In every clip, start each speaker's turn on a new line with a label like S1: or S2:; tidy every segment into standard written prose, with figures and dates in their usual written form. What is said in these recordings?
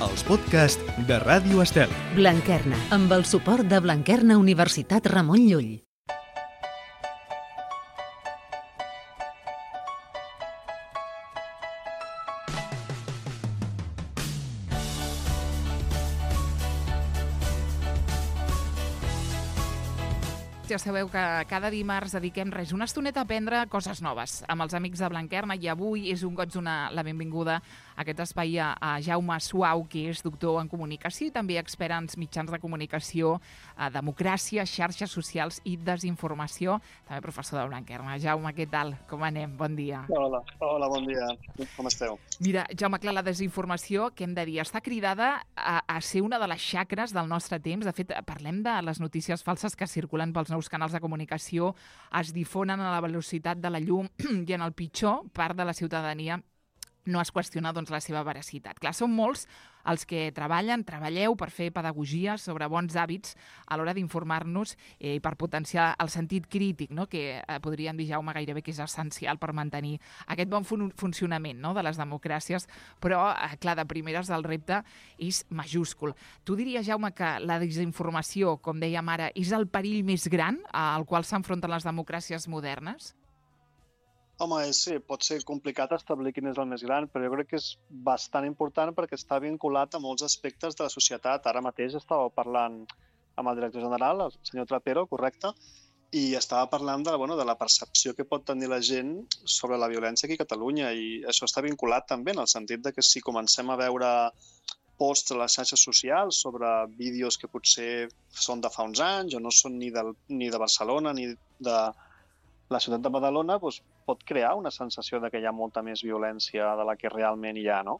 S1: els podcasts de Ràdio Estel.
S2: Blanquerna, amb el suport de Blanquerna Universitat Ramon Llull.
S3: Ja sabeu que cada dimarts dediquem una estoneta a aprendre coses noves amb els amics de Blanquerna i avui és un goig donar la benvinguda a aquest espai a Jaume Suau, que és doctor en comunicació i també expert en mitjans de comunicació, democràcia, xarxes socials i desinformació, també professor de Blanquerna. Jaume, què tal? Com anem? Bon dia.
S4: Hola, bon dia. Com esteu?
S3: Mira, Jaume, clar, la desinformació, què hem de dir? Està cridada a ser una de les xacres del nostre temps. De fet, parlem de les notícies falses que circulen pels nous canals de comunicació, es difonen a la velocitat de la llum i en el pitjor part de la ciutadania no es qüestiona la seva veracitat. Clar, són molts els que treballeu per fer pedagogia sobre bons hàbits a l'hora d'informar-nos i per potenciar el sentit crític, no? Que podríem dir, Jaume, gairebé que és essencial per mantenir aquest bon funcionament, no? De les democràcies, però, clar, de primeres el repte és majúscul. Tu diries, Jaume, que la desinformació, com dèiem ara, és el perill més gran al qual s'enfronten les democràcies modernes?
S4: Home, sí, pot ser complicat establir quin és el més gran, però jo crec que és bastant important perquè està vinculat a molts aspectes de la societat. Ara mateix estava parlant amb el director general, el senyor Trapero, correcte, i estava parlant de la percepció que pot tenir la gent sobre la violència aquí a Catalunya, i això està vinculat també en el sentit de que si comencem a veure posts a les xarxes socials sobre vídeos que potser són de fa uns anys o no són ni de Barcelona ni de la ciutat de Badalona, doncs, pot crear una sensació de que hi ha molta més violència de la que realment hi ha, no?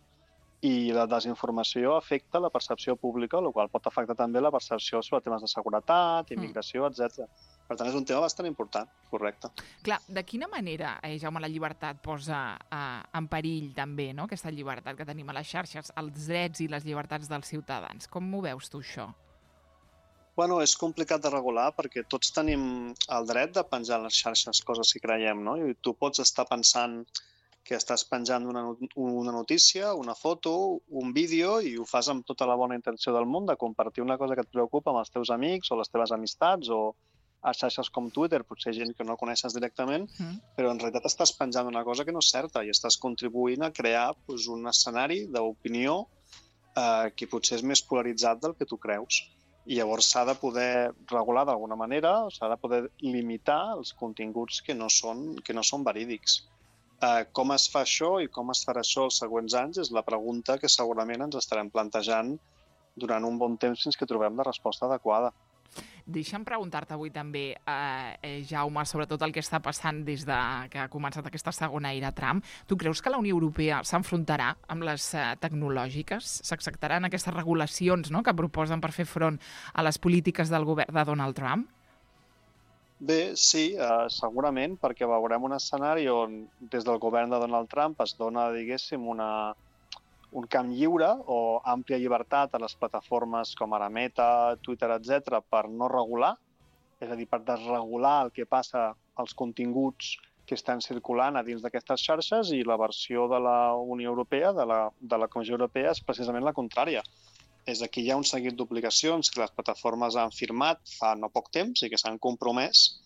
S4: I la desinformació afecta la percepció pública, el qual pot afectar també la percepció sobre temes de seguretat, immigració, etc. Per tant, és un tema bastant important, correcte.
S3: Clar, de quina manera, Jaume, la llibertat posa en perill també, no? Aquesta llibertat que tenim a les xarxes, els drets i les llibertats dels ciutadans? Com ho veus tu, això?
S4: Bueno, és complicat de regular perquè tots tenim el dret de penjar a les xarxes coses que creiem, no? I tu pots estar pensant que estàs penjant una notícia, una foto, un vídeo i ho fas amb tota la bona intenció del món de compartir una cosa que et preocupa amb els teus amics o les teves amistats o a xarxes com Twitter, potser gent que no coneixes directament, però en realitat estàs penjant una cosa que no és certa i estàs contribuint a crear un escenari d'opinió que potser és més polaritzat del que tu creus. I llavors s'ha de poder regular d'alguna manera, s'ha de poder limitar els continguts que no són verídics. Com es fa això i com es farà això els següents anys és la pregunta que segurament ens estarem plantejant durant un bon temps fins que trobem la resposta adequada.
S3: Deixa'm preguntar-te avui també, Jaume, sobretot el que està passant des que ha començat aquesta segona era Trump. Tu creus que la Unió Europea s'enfrontarà amb les tecnològiques? S'acceptaran aquestes regulacions, no?, que proposen per fer front a les polítiques del govern de Donald Trump?
S4: Bé, sí, segurament, perquè veurem un escenari on des del govern de Donald Trump es dona, diguéssim, un camp lliure o àmplia llibertat a les plataformes com ara Meta, Twitter, etc., per no regular, és a dir, per desregular el que passa als continguts que estan circulant a dins d'aquestes xarxes, i la versió de la Unió Europea, de la Comissió Europea, és precisament la contrària. És que hi ha un seguit d'obligacions que les plataformes han firmat fa no poc temps i que s'han compromès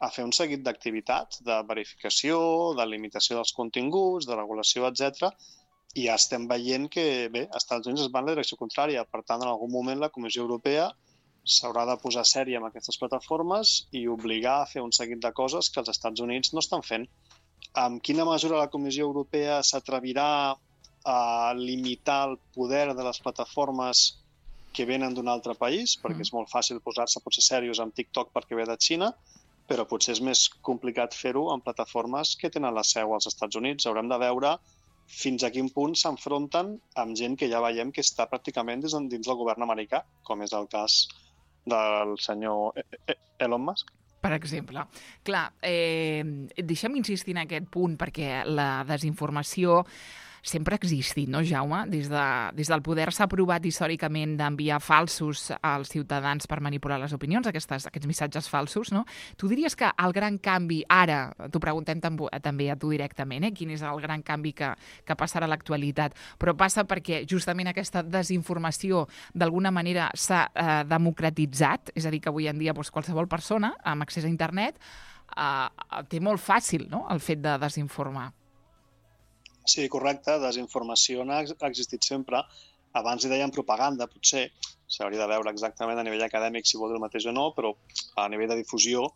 S4: a fer un seguit d'activitats de verificació, de limitació dels continguts, de regulació, etc., i ja estem veient que, bé, als Estats Units es va en la direcció contrària. Per tant, en algun moment la Comissió Europea s'haurà de posar sèria amb aquestes plataformes i obligar a fer un seguit de coses que els Estats Units no estan fent. En quina mesura la Comissió Europea s'atrevirà a limitar el poder de les plataformes que venen d'un altre país? Perquè és molt fàcil posar-se potser serios amb TikTok perquè ve de Xina, però potser és més complicat fer-ho en plataformes que tenen la seu als Estats Units. Haurem de veure fins a quin punt s'enfronten amb gent que ja veiem que està pràcticament dins del govern americà, com és el cas del senyor Elon Musk.
S3: Per exemple. Clar, deixa'm insistir en aquest punt, perquè la desinformació sempre ha existit, no, Jaume? Des del poder s'ha provat històricament d'enviar falsos als ciutadans per manipular les opinions, aquests missatges falsos, no? Tu diries que el gran canvi, ara, t'ho preguntem també a tu directament, quin és el gran canvi que passarà a l'actualitat, però passa perquè justament aquesta desinformació d'alguna manera s'ha democratitzat, és a dir, que avui en dia qualsevol persona amb accés a internet té molt fàcil, no?, el fet de desinformar.
S4: Sí, correcte. Desinformació ha existit sempre. Abans hi deien propaganda, potser. S'hauria de veure exactament a nivell acadèmic si vol dir el mateix o no, però a nivell de difusió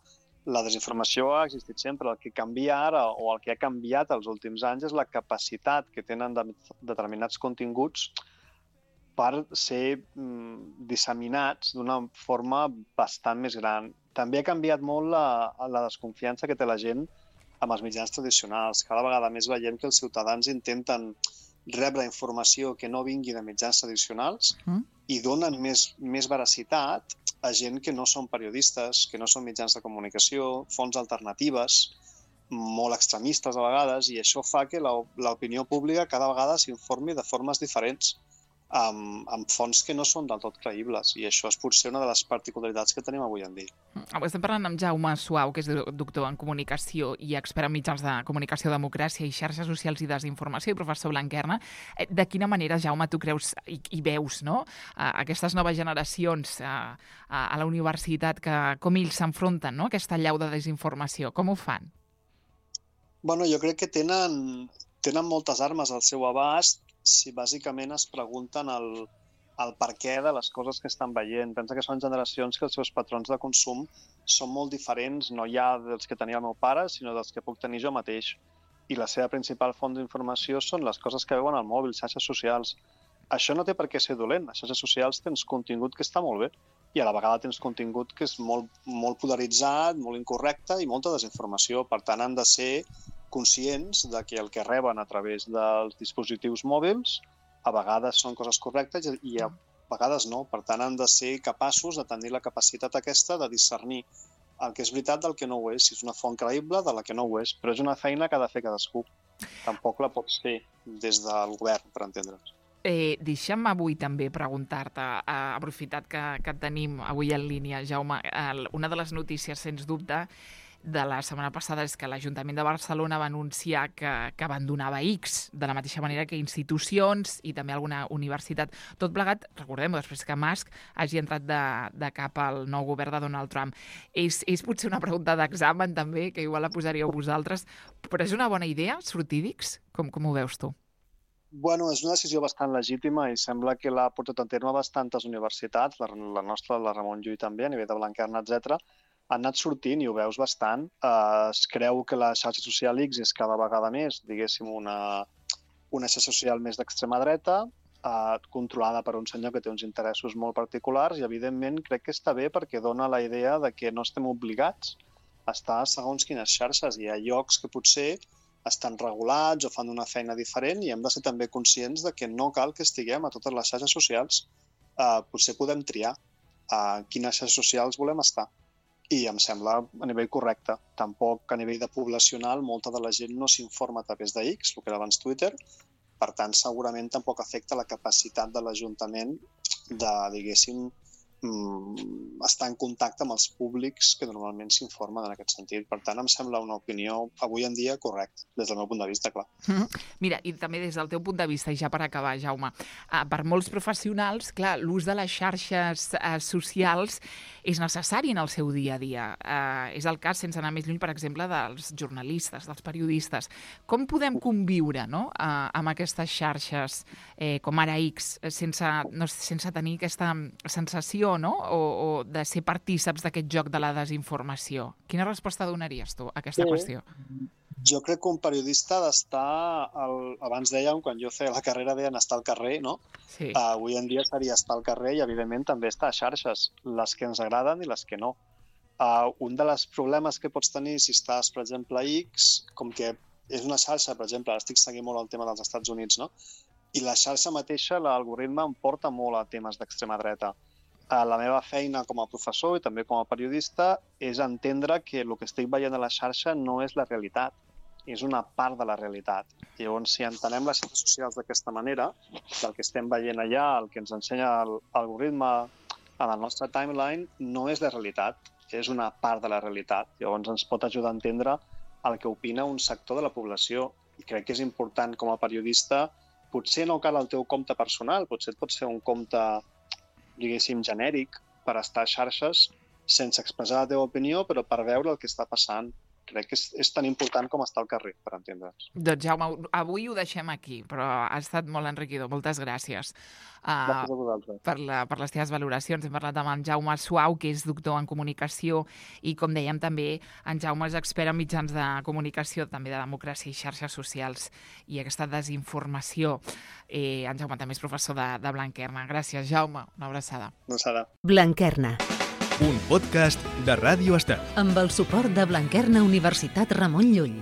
S4: la desinformació ha existit sempre. El que canvia ara, o el que ha canviat els últims anys, és la capacitat que tenen determinats continguts per ser disseminats d'una forma bastant més gran. També ha canviat molt la desconfiança que té la gent amb els mitjans tradicionals. Cada vegada més veiem que els ciutadans intenten rebre informació que no vingui de mitjans tradicionals i donen més veracitat a gent que no són periodistes, que no són mitjans de comunicació, fonts alternatives, molt extremistes a vegades, i això fa que l'opinió pública cada vegada s'informi de formes diferents amb fonts que no són del tot creïbles, i això és potser una de les particularitats que tenim avui en dia.
S3: Estem parlant amb Jaume Suau, que és doctor en comunicació i expert en mitjans de comunicació, democràcia i xarxes socials i desinformació, i professor Blanquerna. De quina manera, Jaume, tu creus i veus, no?, aquestes noves generacions a la universitat, com ells s'enfronten, no?, a aquesta allau de desinformació? Com ho fan?
S4: Bueno, jo crec que tenen moltes armes al seu abast si bàsicament es pregunten el per què de les coses que estan veient. Pensa que són generacions que els seus patrons de consum són molt diferents, no ja dels que tenia el meu pare, sinó dels que puc tenir jo mateix. I la seva principal font d'informació són les coses que veuen al mòbil, xarxes socials. Això no té per què ser dolent. A xarxes socials tens contingut que està molt bé i a la vegada tens contingut que és molt polaritzat, molt incorrecte i molta desinformació. Per tant, han de ser conscients de que el que reben a través dels dispositius mòbils a vegades són coses correctes i a vegades no. Per tant, han de ser capaços de tenir la capacitat aquesta de discernir el que és veritat del que no ho és, si és una font creïble de la que no ho és. Però és una feina que ha de fer cadascú. Tampoc la pots fer des del govern, per entendre'ns.
S3: Deixa'm avui també preguntar-te, aprofitat que tenim avui en línia, Jaume, una de les notícies, sens dubte, de la setmana passada és que l'Ajuntament de Barcelona va anunciar que abandonava X, de la mateixa manera que institucions i també alguna universitat. Tot plegat, recordem-ho, després que Musk hagi entrat de cap al nou govern de Donald Trump. És potser una pregunta d'examen també, que igual la posaríeu vosaltres, però és una bona idea sortir d'X? Com ho veus tu?
S4: Bueno, és una decisió bastant legítima i sembla que l'ha portat a terme bastantes universitats, la nostra, la Ramon Llull també, a nivell de Blanquerna, etc. Han anat sortint i ho veus bastant. Es creu que la xarxa social X és cada vegada més, diguéssim, una xarxa social més d'extrema dreta, controlada per un senyor que té uns interessos molt particulars i, evidentment, crec que està bé perquè dona la idea de que no estem obligats a estar segons quines xarxes. Hi ha llocs que potser estan regulats o fan una feina diferent i hem de ser també conscients de que no cal que estiguem a totes les xarxes socials. Potser podem triar a quines xarxes socials volem estar. I em sembla a nivell correcte. Tampoc a nivell de poblacional molta de la gent no s'informa a través de X, el que era abans Twitter. Per tant, segurament tampoc afecta la capacitat de l'Ajuntament de, diguéssim, estar en contacte amb els públics que normalment s'informen en aquest sentit. Per tant, em sembla una opinió avui en dia correcta, des del meu punt de vista, clar.
S3: Mira, i també des del teu punt de vista, i ja per acabar, Jaume, per molts professionals, clar, l'ús de les xarxes socials és necessari en el seu dia a dia. És el cas, sense anar més lluny, per exemple, dels jornalistes, dels periodistes. Com podem conviure, no?, amb aquestes xarxes, com ara X, sense tenir aquesta sensació, no?, o de ser partíceps d'aquest joc de la desinformació? Quina resposta donaries tu a aquesta qüestió?
S4: Jo crec que un periodista ha d'estar, abans dèiem, quan jo feia la carrera deien estar al carrer, no?
S3: Sí.
S4: Avui en dia seria estar al carrer i, evidentment, també estar a xarxes, les que ens agraden i les que no. Un dels problemes que pots tenir si estàs, per exemple, a X, com que és una xarxa, per exemple, ara estic seguint molt el tema dels Estats Units, no? I la xarxa mateixa, l'algoritme, em porta molt a temes d'extrema dreta. La meva feina com a professor i també com a periodista és entendre que el que estic veient a la xarxa no és la realitat. és una part de la realitat. Llavors, si entenem les xarxes socials d'aquesta manera, del que estem veient allà, el que ens ensenya l'algoritme en el nostre timeline, no és la realitat, és una part de la realitat. Llavors, ens pot ajudar a entendre el que opina un sector de la població. I crec que és important, com a periodista, potser no cal el teu compte personal, potser et pot ser un compte, diguéssim, genèric, per estar a xarxes sense expressar la teva opinió, però per veure el que està passant. Crec que és tan important com estar al carrer, per entendre's.
S3: Doncs Jaume, avui ho deixem aquí, però ha estat molt enriquidor. Moltes gràcies.
S4: Gràcies a vosaltres.
S3: Per les teves valoracions. Hem parlat amb en Jaume Suau, que és doctor en comunicació, i com dèiem també, en Jaume és expert en mitjans de comunicació, també de democràcia i xarxes socials i aquesta desinformació. En Jaume també és professor de Blanquerna. Gràcies, Jaume. Una abraçada.
S4: Una abraçada.
S2: Blanquerna.
S1: Un podcast de Ràdio Estel.
S2: Amb el suport de Blanquerna Universitat Ramon Llull.